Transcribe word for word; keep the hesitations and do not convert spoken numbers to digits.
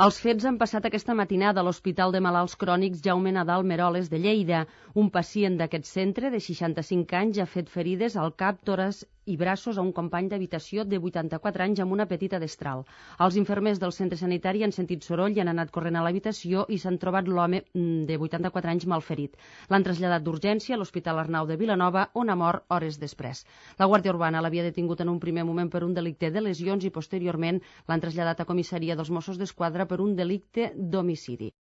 Els fets han passat aquesta matinada a l'Hospital de Malalts Crònics Jaume Nadal Meroles de Lleida. Un pacient d'aquest centre, de seixanta-cinc anys, ha fet ferides al cap, tòrax i braços a un company d'habitació de vuitanta-quatre anys amb una petita destral. Els infermers del centre sanitari han sentit soroll i han anat corrent a l'habitació i s'han trobat l'home de vuitanta-quatre anys malferit. L'han traslladat d'urgència a l'Hospital Arnau de Vilanova, on ha mort hores després. La Guàrdia Urbana l'havia detingut en un primer moment per un delicte de lesions i posteriorment l'han traslladat a comissaria dels Mossos d'Esquadra per un delicte d'homicidi.